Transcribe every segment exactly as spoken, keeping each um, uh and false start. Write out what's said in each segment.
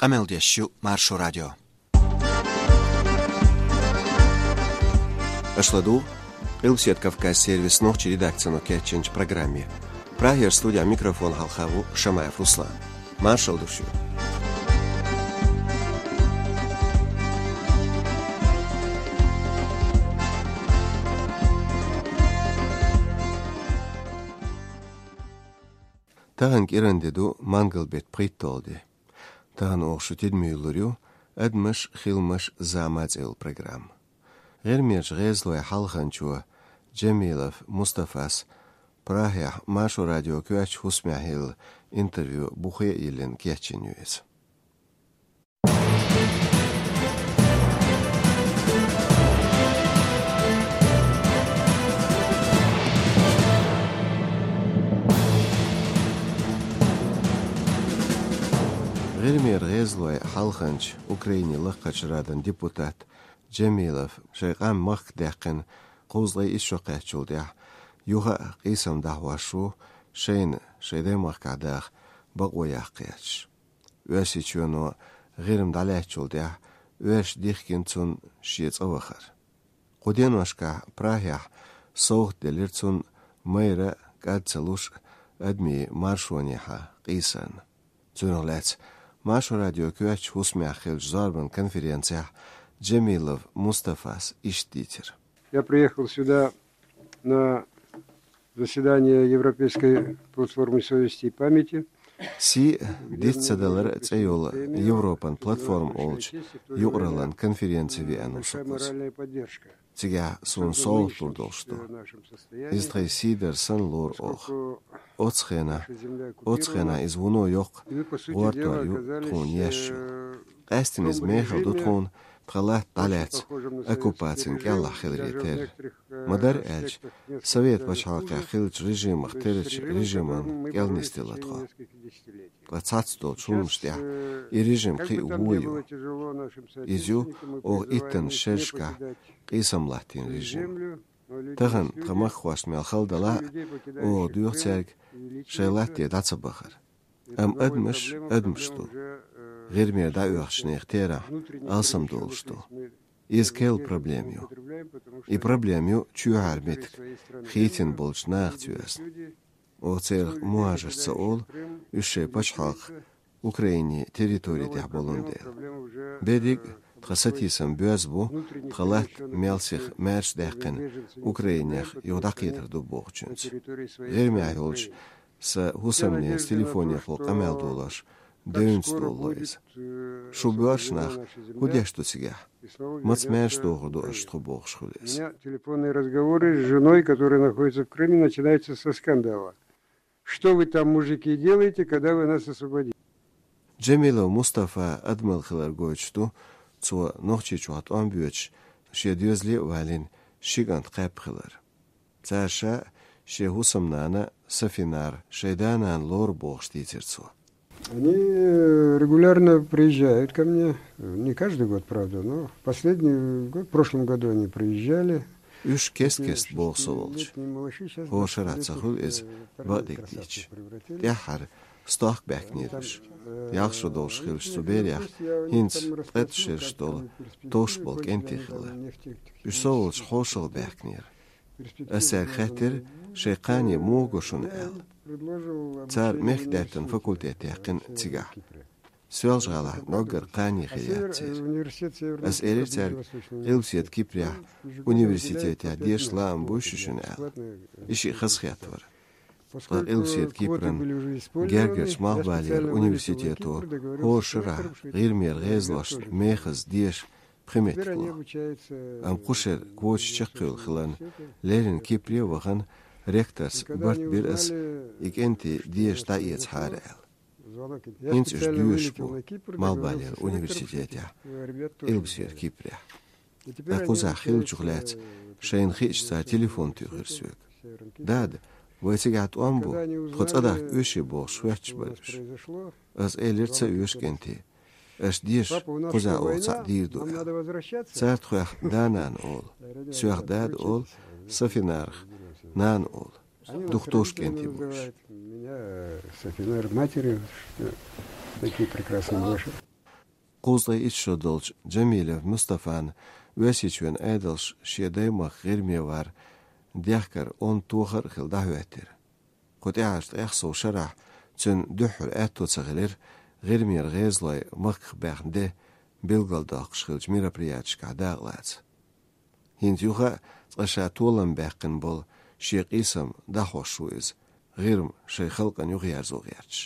Къамел деш ю Маршо радио. Аша ладугӀу Къилбаседа Кавказ сервисан нохчийн редакцино кечйинчу программе. Прагера студехь микрофон хьалха ву Шамаев Руслан. Маршалла ду шуьга. Тахана кӀиран де ду, мангал беттан пхийтталгӀа де. Тахана оха шун тидаме юьллур ю «Адамаш, хиламаш, зама» цӀе йолу программа. ГӀирмерчу гӀезалойн хьалханчо Джамилов Мустафас Прагехь Маршо радион коьртачу хӀусамехь елла интервью бухе а йиллина кечйина ю иза. ГӀирмера гӀезалойн хьалханча, Украинин Лакхарчу Радан депутат Джамилов шайн къам махка даьккхина кхузткъе итт шо кхаьччул тӀаьхьа юха а къийсам дӀахьош ву, шайна шайн даймахкахь даха бакъо яккха гӀерташ. Оьрсийчоьно ГӀирма дӀалаьцначул тӀаьхьа оьрсаша дихкина цунна шен цӀа вахар. Кху деношкахь Прагехь совгӀат делира цунна майра кӀад ца луш адамийн маршонехьа къийсарна. Цунах лаьцна Маршо радион коьртачу хӀусамехь хиллачу зорбан конференцехь Джамилов Мустафас иштта дийцира. Я приехал сюда на заседание Европейской платформы совести и памяти. «Сий диц ца далар» цӀе йолу Европан платформа олучу юкъараллин конференци веана ву со кхуза. Цигахь суна совгӀат лур долуш ду. Иза тхайн сий дар санна лору оха. Оцу хенахь, оцу хенахь иза вуно йоккха гӀортор ю тхуна еш ю. Къаьсттина иза мехала ду тхуна тхан латта дӀалаьцна оккупацин кӀелахь хиларе терра. Ма-дарра аьлча, Совет пачхьалкхехь хиллачу режимах террачу режиман кӀел нисделла тхо. Ткъа цхьацца долчу хӀуманаш тӀехь и режим кхин а вон ю. Иза ю оха иттаннаш шерашкахь къийсам латтийна режим. Тахана тхан махкахошна мел хала далахь а, оха доьху цаьрга шайн латте дӀа ца бахар. Амма адамаш адамаш ду. ГӀирмера дӀаоьхучу нехан терахь алсамдолуш ду. Иза керла проблема ю. И проблема ю чоьхьара меттиг хийцина болчу нахаца йоьзна. Оха церах мухӀажарш ца олу, уьш шайн пачхьалкх Украинин территори тӀехь болун дела. Берриг а тхан сатийсам боьзна бу, тхан латта мел сиха маьрша даьккхина Украинех юха дӀакхетар ду бохучуьнца. ГӀирмехь йолчу сан хӀусамненца телефонехула къамел долош девнца долало иза. Шу боьрша нах хӀун деш ду цигахь? Маца маьрша дохур ду аша тхо бохуш хуьлу иза. У меня телефонные разговоры с женой, которая находится в Крыме, начинаются со скандала. Что вы там, мужики, делаете, когда вы нас освободите? Джамилов Мустафа адамалла хилар гойтуш ду, цо Нохчийчохь тӀом боьдуш, шен доьзале а валийна, ши кӀант кхаьпна хилар. Цара ша шен хӀусамнана Сафинар шайн да-нана лору бохуш дийцира цо. Они э, регулярно приезжают ко мне, э, не каждый год, правда, но последний год, в прошлом году они приезжали. Уьш кест-кест боху со волчу. ХӀора шарахь ца хуьлу иза, бакъдерг дийцича. ТӀаьххьара стохка баьхкинера уьш. Ялх шо долуш хиллачу цу берех хӀинца ткъе итт шераш долу товш болу кӀентий хилла. Уьш со волчу хьошалгӀа баьхкинера. Ас цаьрга хаьттира, шайн кхане муха го шуна аьлла. Цара мехкдаьттан факультет яьккхина цигахь. Соьлжа-ГӀалахь ноггар кхане хир яц церан. Ас элира цаьрга, Къилбаседа Кипрехь университетехь деша лаам буй шу шуна аьлла. И шиъ хазахетта вара. Ткъа Къилбаседа Кипран гергарчу Малхбалера университето хӀора шарахь ГӀирмера гӀезалошна мехаза деша пхи меттиг ло. Амма кху шеран квоташ чекхйолу хиларна, леррина Кипре а вахана, ректорс барт бира ас, и кӀентий деша дӀаэцахьара аьлла. ХӀинца уьш доьшуш бу Малхбалера университетехь, Къилбаседа Кипрехь. Ткъа кхузахь хиллачух лаьцна шайна хиъча цара телефон туьйхира соьга. «Дада, вай цигахь тӀом бу, тхо цӀа дахка оьший», — бохуш хоьттуш бара уьш. Ас элира: «Ца оьшу, кӀентий. Аша деша, кхузахь оха цхьаъ дийр ду», — аьлла. Цара тхох да-нана олу, соьх дада олу, Сафинарах нана олу. Дукха товш кӀентий бу уьш. Меня Сафинар матерью, что такие прекрасные малыши. Кхузткъе итт шо долчу Джамилев Мустафан Оьрсийчоьнан Ӏедалш шен даймахка ГӀирме вар дехкар онда тохар а хилла дӀахӀоьттира. Кху тӀаьхьарчу тӀех сов шарахь цуьнан дуьххьара аьтто ца хилира ГӀирмера гӀезалой махках баьхна де билгалдоккхуш хиллачу мероприятешкахь дакъалаца. ХӀинца юха а цкъа ша толам баьккхина болу шен къийсам дӀахьош ву иза, ГӀирма шайн халкъана юхаерзо гӀерташ.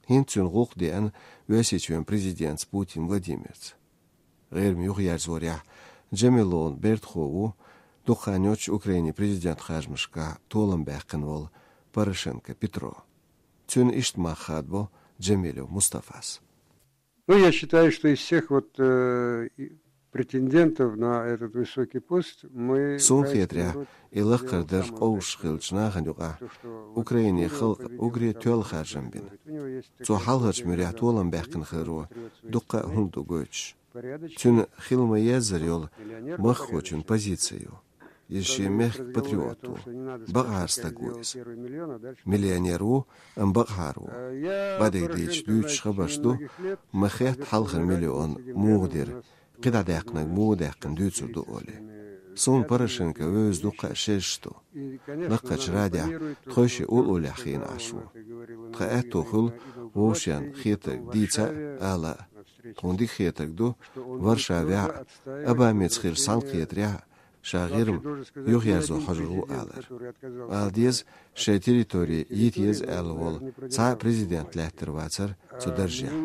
ХӀинца цуьнан гӀуллакх деана Оьрсийчоьнан президентца Путин Владимирца. ГӀирма юхаерзорехь Джамиловн бертахо ву дукха хан йоццуш Украинин президентан харжамашкахь толам баьккхина волу Порошенко Петро. Цуьнан иштта мах хадабо Джамилев Мустафас. Ну, я считаю, что из всех вот э, и- претендентов на этот высокий пост мы... Суна хетарехь, и лакхара дарж къовсуш хиллачу нахана юкъахь Украинин халкъа уггаре тоьлла харжам бина. Цо хьалхарчу муьрехь толам баьккхина хиларо дуккха а хӀума ду гойтуш. Цуьнан хила ма-еззара йолу махкахочун позици ю. Иза шен мехкан патриот ву. Бакъахьара стаг ву иза. Миллионер ву, амма бакъахьара ву. Бадига дийцича, дуьйцуш хабарш ду, ма хетта хьалхара миллион муха дира, кхидӀа даьккхинарг муха даьккхина дуьйцур ду олий. Суна Порошенко вевза дуккха а шераш ду. Лакхарчу радехь тхойшиъ уллохь хиъна Ӏаш ву. Тхан аьтто хуьлу вовшашна хетарг дийца а, ала а. Тхуна дика хетарг ду, Варшавехь а, Обамица хилча цхьаьнакхетарехь а, ша ГӀирма юхаерзо хьожур ву алар. Ала деза, шайн территори йита еза аьлла волу цхьа а президент лаьттар вацара цу даржехь.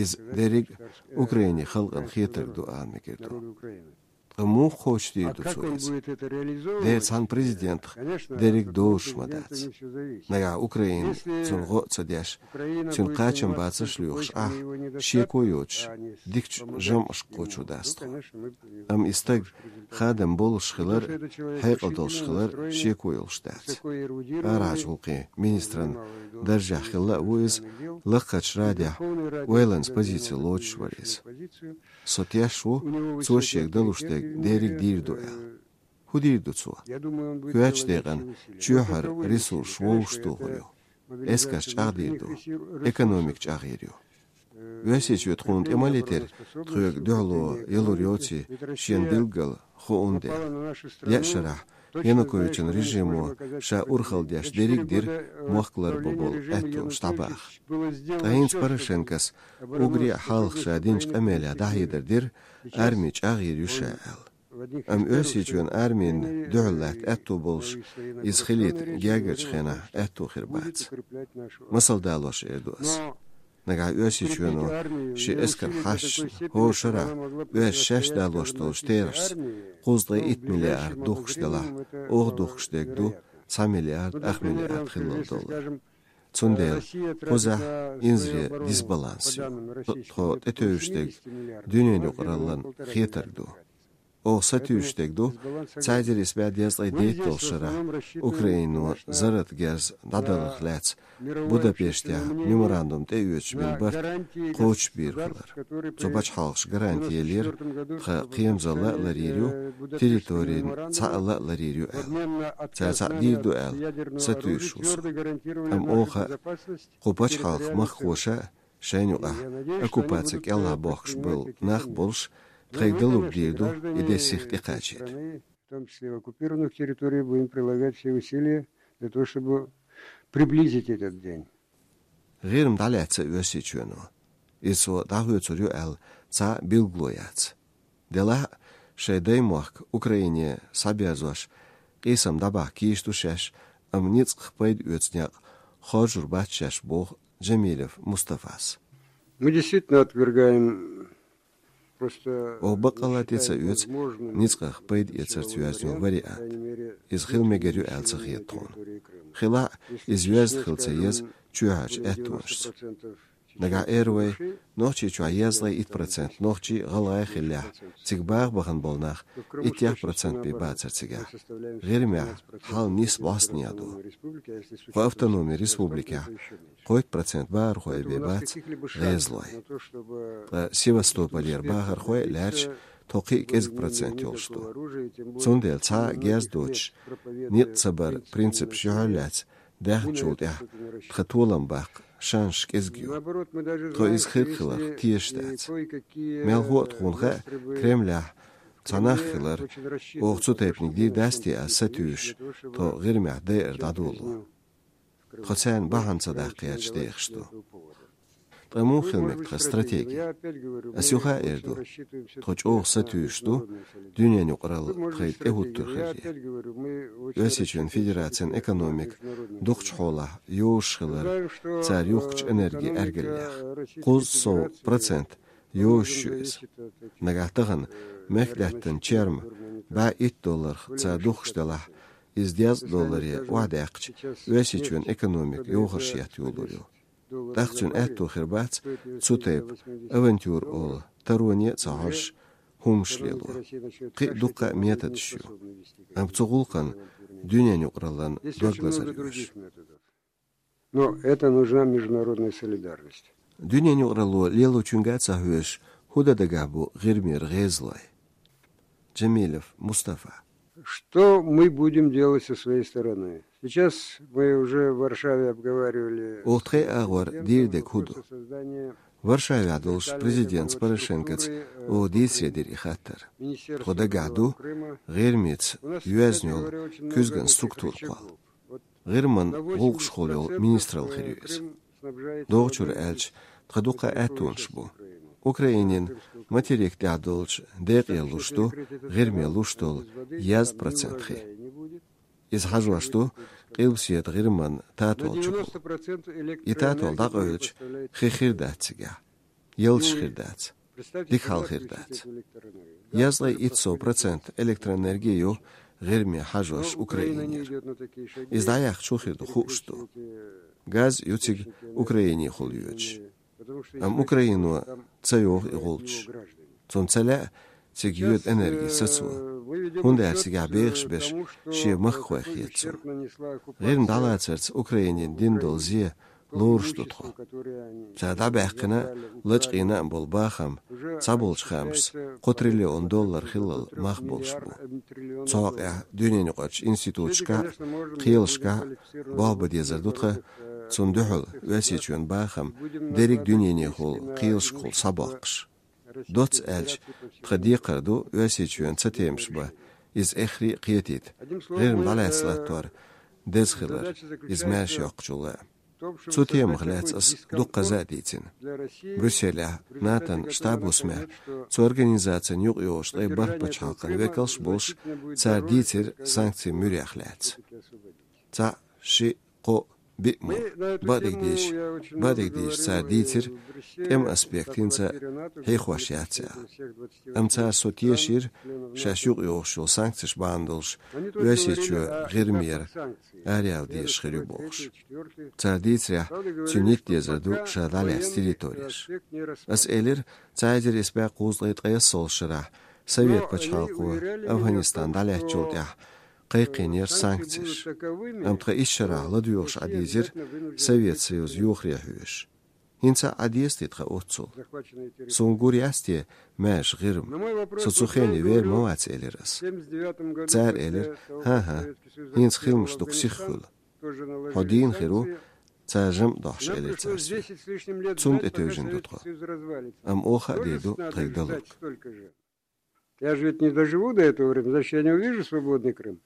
Иза дерриг а Украинин халкъана хетарг ду ала мегар ду. Ткъа муха кхочушдийр ду цо иза? Дера, цхьана президентах дерриг дозуш ма дац. Нагахь Украина цунна гӀо а ца деш, цуьнан кхачам бацарш а лоьхуш Ӏахь, шеко а йоцуш, дикачу жамӀашка кхочур дац тхо. Амма и стаг хадам болуш хилар а, хьекъал долуш хилар а шеко йолуш дац. Арахьарчу гӀуллакхийн министран даржехь хилла а ву иза, лакхарчу радехь ойланца позици лоцуш вара иза. Со тешна ву, цо шега далуш дерг дерриг дийр ду аьлла. ХӀун дийр ду цо? Коьртачу декъана чоьхьара ресурсаш вовшахтохур ю. Эскарш чӀагӀдийр ду. Экономика чӀагӀйийр ю. Оьрсийчоь тхуна тӀе ма летира, тхоьга дуьхьало ялур йоций, шена билггал хуунна дела. Еа шарахь Януковичан режимо ша урхалла деш дерриг а дира мохк ларбан болу аьттонаш дӀабаха. Ткъа хӀинца Порошенкос уггаре а хьалха ша динчу къамелехь дӀахьедар дира, арми чӀагӀйийр ю ша аьлла. Амма Оьрсийчоьнан армина дуьхьал латта аьтто болуш, иза хилийта гергарчу хенахь аьтто хир бац. Масал далош эр ду ас. Нагахь Оьрсийчоьно шен эскар хьашташна, хӀора шарахь оьрсаша шаьш далош долчу терахьашца кхузткъе итт миллиард духкуш делахь, оха духкуш дерг ду цхьа миллиард, ах миллиард хиллал доллар. Цундела кхузахь инзаре дисбаланс ю. Тхо тӀетевжаш дерг дуьненан юкъараллин хетарг ду. Оха сатуьйсуш дерг ду, цхьа эзар исс бӀе дезткъе дейтта долчу шарахь Украино зарратан герз дӀадаларх лаьцна Будапештехь меморандум тӀеоьцуш бина барт кхочушбийр хилар. Цу пачхьалкхаша гаранти еллера, тхан кхерамзалла а ларйийр ю, территорин цхьаалла а ларйийр ю аьлла. Цара цхьаъ дийр ду аьлла, сатуьйсуш ву со. Амма оха а, кху пачхьалкхан махкахоша а, шайна юкъахь оккупаци кӀелахь бохкуш болу нах а болуш, тхайга далург дийр ду и де сиха тӀекхачийта. В том числе в оккупированных территориях, будем прилагать все усилия для того, чтобы приблизить этот день. ГӀирма дӀалаьцна Оьрсийчоьно. Иза цо дӀахоьцур ю аьлла цхьа а билгало яц. Делахь а, шайн даймохк Украине схьаберзош, къийсам дӀабахка йиш ду шаьш, амма ницкъах пайда оьцу некъ хоржур бац шаьш, боху Джамилев Мустафас. Мы действительно отвергаем просто... Оха баккъалла тӀе ца оьцу ницкъах пайда эцарца йоьзна йолу вариант. Иза хила мегар ю аьлла ца хета тхуна. Хилахь а, иза йоьзна хила ца еза чоьхьарчу аьттонашца. Нагахь эр вай, Нохчийчохь дезткъе итт процент нохчий, гӀалгӀай хиллехь, цига баха бахана болу нах иттех процент бен бацара цигахь. ГӀирмехь хьал нийса бӀостанехьа ду. Кху автономи республикехь кхойтта процент бахархой бен бац гӀезалой. Ткъа Севастополера бахархой а лаьрча, тхо кхин а кӀезиг процент йолуш ду. Цундела цхьа а герз доцуш, некъ ца баран принципаш юьхьар лаьцна даьхначул тӀаьхьа тхан толам баккха шанс кӀезиг ю. Тхо иза хирг хиларх тешаш дац. Мел хӀоъ тхона хаьа, Кремлехь цхьа нах хилар, оха цу тайпаниг дийр дац те аз сатуьйсуш, тхо ГӀирмехь дайар дӀадоло. Тхо царна бахьана ца даккха гӀерташ дехаш ду. Ткъа муха хила мега тхан стратеги? Ас юха а эр ду, тхо чӀогӀа сатуьйсуш ду, дуьненан юкъаралла тхоьга тӀехӀуттур хиларе. Оьрсийчоьнан Федерацин экономика дукхачу хьолахь йовзаш хилар, цара юхкучу энерги-аьргалех. Кхузткъа сов процент йовзаш ю иза. Нагахь тахана мехкдаьттан черма бӀе итт долларх цара духкуш делахь, иза дезткъа долларе охьадаьккхича, Оьрсийчоьнан экономика йохарш етта йолалур ю. ТӀаккха цуьнан аьтто хир бац цу тайпа авантюра олу тароне а ца хьожуш хӀуманаш лело. Кхин а дуккха а методаш ю. Амма цу гӀуллакхна дуьненан юкъараллин дог лазар йоьшу. Но это нужна международная солидарность. Дуьненан юкъаралло лелочуьнга а ца хьоьжуш, хӀун дан дагахь бу ГӀирмера гӀезалой? Джамилов Мустафа. Что мы будем делать со своей стороны? Сейчас мы уже в Варшаве обговаривали... Оха тхайн агӀор дийр дерг хӀун ду? Варшавехь долуш президентца Порошенкоца оха дийцаре дира и хаттар. Тхо дагахь ду ГӀирмица йоьзна йолу куьзган структура кхолла. ГӀирман гӀуллакхашхула йолу министралла хир ю иза. ДогӀучуьра аьлча, тхан дуккха а аьттонаш бу. Украинин материк тӀехь долчу декъе луш ду ГӀирме луш долу езткъа процент хи. Иза хьажош ду Къилбаседа ГӀирман татол чухула. И татол дӀакъевлча, хи хир дац цигахь. Ялташ хир дац. Дика хьал хир дац. Езткъе итт сов процент электроэнерги ю ГӀирме хьажош Украинера. Иза дӀаяьккхича хӀун хир ду хууш ду. Газ ю цига Украинехула йоьдуш. Амма Украино ца йоху и гӀулчаш. Цунна ца лаьа цига йоьду энерги сацо. ХӀунда аьлча цигахь бехаш берш шен махкахой хета цунна. ГӀирма дӀалацарца Украинина дина долу зе лоруш ду тхо. Цара дӀабаьккхина а, лачкъийна а болу бахам цхьаболчу хаамашца кхо триллион доллар хиллал мах болуш бу. Цу хьокъехь дуьненаюкъарчу институташкахь а, кхелашкахь а болх бан дезар ду тхан, цунна дуьхьал Оьрсийчоьнан бахам дерриг дуьненехула кхелашкахула схьабоккхуш. Доцца аьлча, тхан декхар ду Оьрсийчоьнан цатемаш бан, иза эххар а кхетийта, ГӀирма дӀалаьцна латтор деза хилар, иза маьрша йоккхучул а. Цу темах лаьцна ас дуккхаза а дийцина. Брюсселехь НАТОн штаб-хӀусамехь цу организацин юкъайогӀучу ткъе бархӀ пачхьалкхан векалш а болуш, цара дийцира санкцийн муьрех лаьцна. Цхьаъ, шиъ, кхоъ, биъ мо. Бакъдерг дийцича, бакъдерг дийцича, цара дийцира, тӀеман аспект хӀинца а хьехош яц аьлла. Амма цара со тешийра, шаьш юкъайогӀуш йолу санкцеш бахьана долуш, Оьрсийчоь ГӀирмера араяла дезаш хир ю бохуш. Цара дийцарехь, цуьнан йиттан дезар ду ша дӀалаьцна территореш. Ас элира, цхьа эзар исс бӀе кхузткъе ткъайоьсналгӀачу шарахь Совет пачхьалкхо Афганистан дӀалаьцначул тӀаьхьа кхайкхийнера санкцеш. Амма тхан исс шарахь ладоьгӀуш Ӏадийзира Совет Союз йохаре хьоьжуш. ХӀинца а Ӏадеза те тхан оццул? Суна гур яц те маьрша ГӀирма? Со цу хене вер ма вац, элира ас. Цара элира: «ХӀан-хӀа, хӀинца хиламаш дукха сиха хуьлу. Хьо дийна хир ву, цара жамӀ дохьуш», — элира цара соьга. Цунна тӀе тевжина ду тхо. Амма оха а дийр ду тхайга далург. Я же ведь не доживу до этого времени, значит, я не увижу свободный Крым.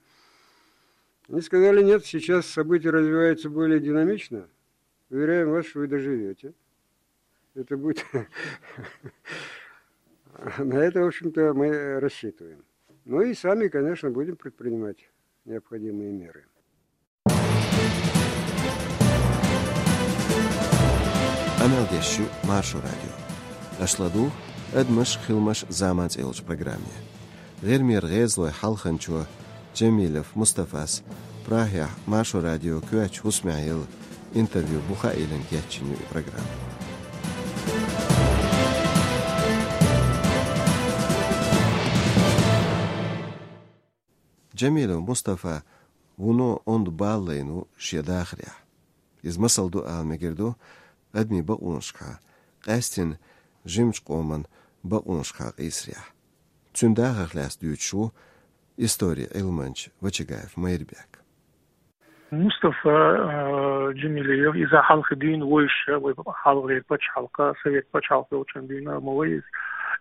Они сказали: «Нет, сейчас события развиваются более динамично. Уверяем вас, что вы доживете. Это будет...» На это, в общем-то, мы рассчитываем. Ну и сами, конечно, будем предпринимать необходимые меры. Къамел деш ю Маршо радио. Аша ладугӀу «Адамаш, хиламаш, зама» цӀе йолчу программе. ГӀирмера гӀезалойн хьалханчо Джамилов Мустафас Прагехь Маршо радион коьртачу хӀусамехь елла интервью буха а йиллина кечйина ю и программа. Джамилов Мустафа вуно онда бала лайна ву шен дахарехь. Иза масал ду ала мегар ду адамийн бакъонашкахьа, къаьсттина жимачу къоман бакъонашкахьа къийсарехь. Цуьнан дахарх лаьцна дуьйцуш ву историн Ӏилманча Вачагаев Майрбек. Мустафа, а, Джамилиев, иза хьалха дуьйна вайша, вай хьалхара пачхьалкха, совет пачхьалкха йолча хана дуьйна, ма вай из.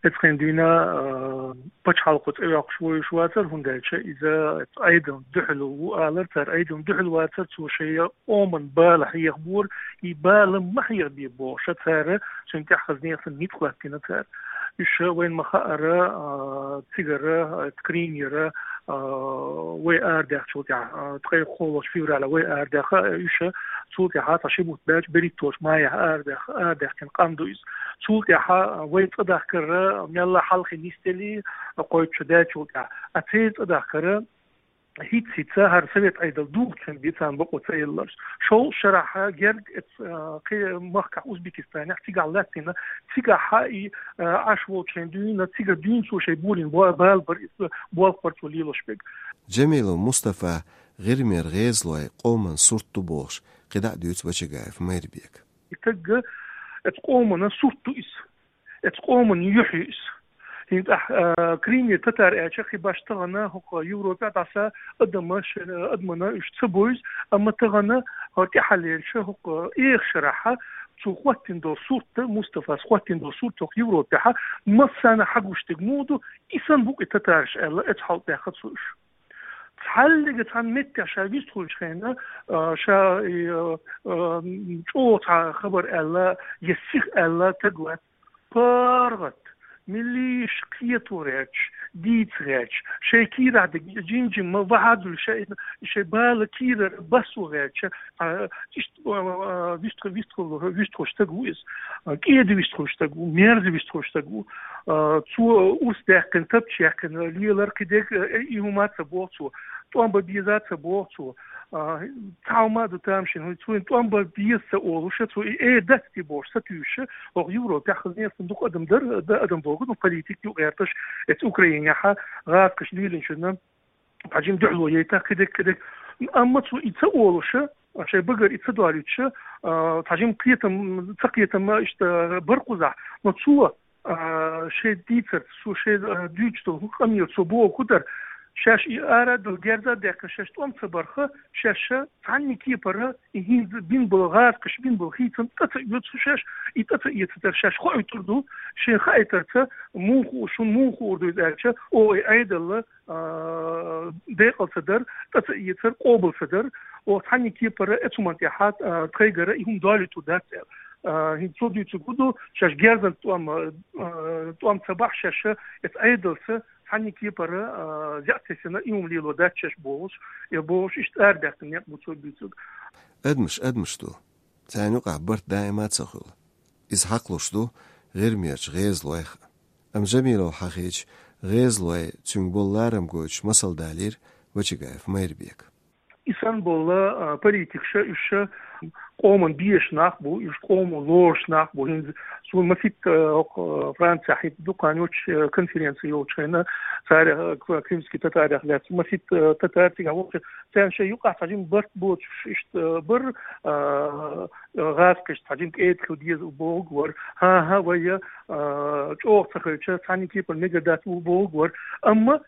Эцхен дуьйна, а, пачхьалкхо цӀе йоаккхаш вайша вацар, хӀунда аьлча иза Ӏедална дуьхьал ву алар цар, Ӏедална дуьхьал вацар, цо шоай къаман бала хьехабора, и бала ма хьехабе бохуш цара, цунна тӀехь хаза нехан ницкъ латтийна цара. Уьш вайна ма хаъара, а, цигара, а, Кримера, а, вай арадаьхначул тӀехьа, а, ткъе кхоалгӀача февраля вай арадаьха, уьш цул тӀехьа цхьа ши бутт баьлча берхӀитталгӀача майехь арадаьх-, арадаьхкина къам ду иза. Цул тӀехьа вай цӀадахкар мелла хьалхе нисделла, кхойтта шу даьлчул тӀехьа. А церан цӀадахкар хӀинцца-хӀинцца хӀара совет Ӏедал духучун бицан бакъо ца елларш. ШолгӀа шарахь герга эц, а, кхе махкахь Узбекистанехь цигахь латтийна, цигахь и, а, Ӏаш волча хана дуьйна, цига дуьйна цо шоай болийна бо-, бала бар, иза болх бар цо лелош берг. Джамилов Мустафа, ГӀирмера гӀезалой, къаман сурт ду бохуш, кхидӀа а дуьйцу Вачагаев Майрбека. И таг эц къаман сурт ду иза. Эц къаман юхь ю иза. ХӀинца тӀехь, а, Кримера татар аьлча, кхин башха тахана хӀокху Европехь дӀаса адам ш-, адамна уьш ца бовза, амма тахана, а, тӀаьхьаллерча хӀокху, а, эха шарахь цо хӀоттийна долу сурт, Мустафас хӀоттийна долу сурт хӀокху Европехь массарна хьагуш дерг муха ду, и санна бу-кх и татараш аьлла, эцу хьалха баьхна цо уьш. Цхьаллига цхьана меттехь ша вистхуьлучу хенахь, а, ша, и, а, а, чӀогӀа цхьа хабар аьлла, я сиха аьлла таг вац. ПаргӀат, милиш кхето гӀерташ, дийца гӀерташ, шайн кийрахь дерг жим-жимма вахьадуьллуш, шайн, шайн бала кийрара басо гӀерташ, а, иштта, а, а, вистху-, вистху-, вистхуьлуш стаг ву иза. А, кӀеда вистхуьлуш стаг ву, мерза вистхуьлуш стаг ву. А, цо урс даьккхина, тапча яьккхина лелар кхидерг, а, и хӀума ца боху цо. ТӀом бан беза ца боху цо. А, цхьа хӀума а ду тамашийна, хӀунда цо тӀом бан беза ца олуш, цо и эр дац те бохуш сатуьйсуш, хӀокху Европехь хаза нехан дукха адам дара, да, адам боху, ну, политик ю гӀерташ, эцу Украинехь гӀазкхаша лелийначунна цхьа жима дуьхьало яйтахь кхидерг, кхидерг. Амма цо и ца олуш, шайн багара и ца долуьйтуш, а, цхьа жима кхетам, ца кхетам иштта бара кхузахь, но цо, а, шайн дийцарца, цо шайн, а, дуьйцуш долу къамелаца цо боху хӀун дара, шаьш и ара а дала, герз а даьккхина, шаьш тӀом ца барх, шаьш цхьанна кепара и хӀинца бина болу гӀазкхаша бина болу хийцам тӀе ца оьцу шаьш, и тӀе ца эцар шаьш хоуьйтур ду, шайна хаийтарца, муха хуур, шуна муха хуур ду иза аьлча, оха и Ӏедал, а, декъал ца дар, тӀе ца эцар къобал ца дар, оха цхьанна кепара эцу хӀуманна тӀехь, а, тхайгара и хӀума долуьйтур дац аьлла. А, хӀинца цо дуьйцург хӀун ду, шаьш герзан тӀом, а, тӀом ца бахь шаьш, эцу Ӏедалца цхьанна кепара, а, зеӀ тесина и хӀума лело дац шаьш бохуш, я бохуш, иштта арадаьккхина некъ бу цо буьйцург. Адамаш адамаш ду. Царна юкъахь барт даима а ца хуьлу. Иза хьакхалуш ду ГӀирмерчу гӀезалойх а. Амма Джамилов хьахийча, гӀезалой цуьнга болу ларам гойтуш масал далийра Вачагаев Майрбека. И санна болу, а, политикаш, уьш къоман безаш нах бу, уьш къомо лоруш нах бу. ХӀинца суна масийтта, а, хӀокху, а, Францехь хӀинца дукха хан йоцуш, а, конференци йолчу хенахь, цара, а, к-, крымский татарех лаьцна масийтта, а, татар цигахь волчу, царна шайн юкъахь цхьа жима барт боцуш иштта, а, бара, а, гӀазкхашна цхьа жима кӀеда хила деза бохург вара. ХӀан-хӀа, вай, а, чӀогӀа ца хилча, цхьанна кепара мегар дац бохург вара. Амма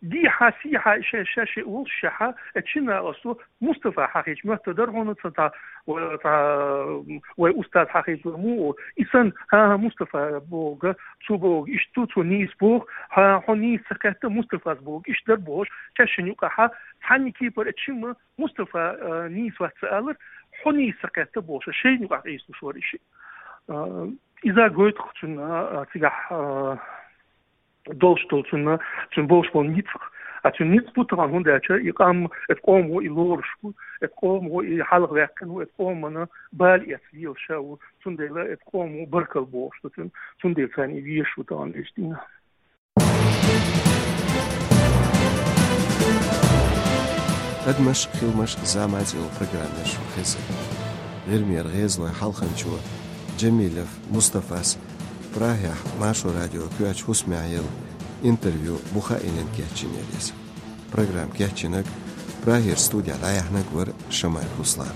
дехьа-сехьа шаьш, шаьш волуш шаьш, э, чина оцу Мустафа хьахийча моьттур дара хьуна, цхьа, цхьа, ва-, цхьа, вай устаз хьахийча муха. И санна, хӀан-хӀа, Мустафа бохург, цо бохург иштта ду, цо нийса боху, хӀан, хьо нийса ца кхетта, Мустафас бохург иштта дара бохуш, шаьш шайна юкъахь цхьанна кепара, э, чина Мустафа, а, нийса вац ца алар, хьо нийса ца кхетта бохуш, шайна юкъахь къийсалуш вара и шиъ. А, иза гойту-кх цунна, а, цигахь, а, долуш долу цунна, цунна болуш болу ницкъ. А цуьнан ницкъ бу тахана, хӀунда аьлча и къам, эцу къомо и лоруш ву, эцу къомо и хьалха ваьккхина ву, эцу къомана бала эцна лелаш ву, цундела эцу къомо баркалла бохуш ду цуьнан, цундела царна и везаш ву тахана иштта. Адамаш, хиламаш, зама цӀе йолу программа ю шун хезна. ГӀирмера гӀезалойн хьалханчо Джамилов Мустафас Прагехь Маршо радион коьртачу хӀусамехь елла интервью бухахь а йиллина кечйина яра иза. Программа кечйинарг, Прагера студехь дӀаяьхьнарг вара Шамаев Руслан.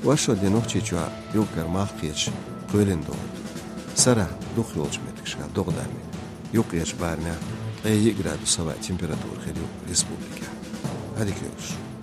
Вай шо де Нохчийчохь юкъара малх кхеташ кхоьлина догӀу ду. Сарахь дукхахйолчу меттигашкахь догӀа дан ю. Юккъерчу барамехь ткъе йиъ градус хӀаваан температура хир ю республикехь. Ӏадика йойла шун.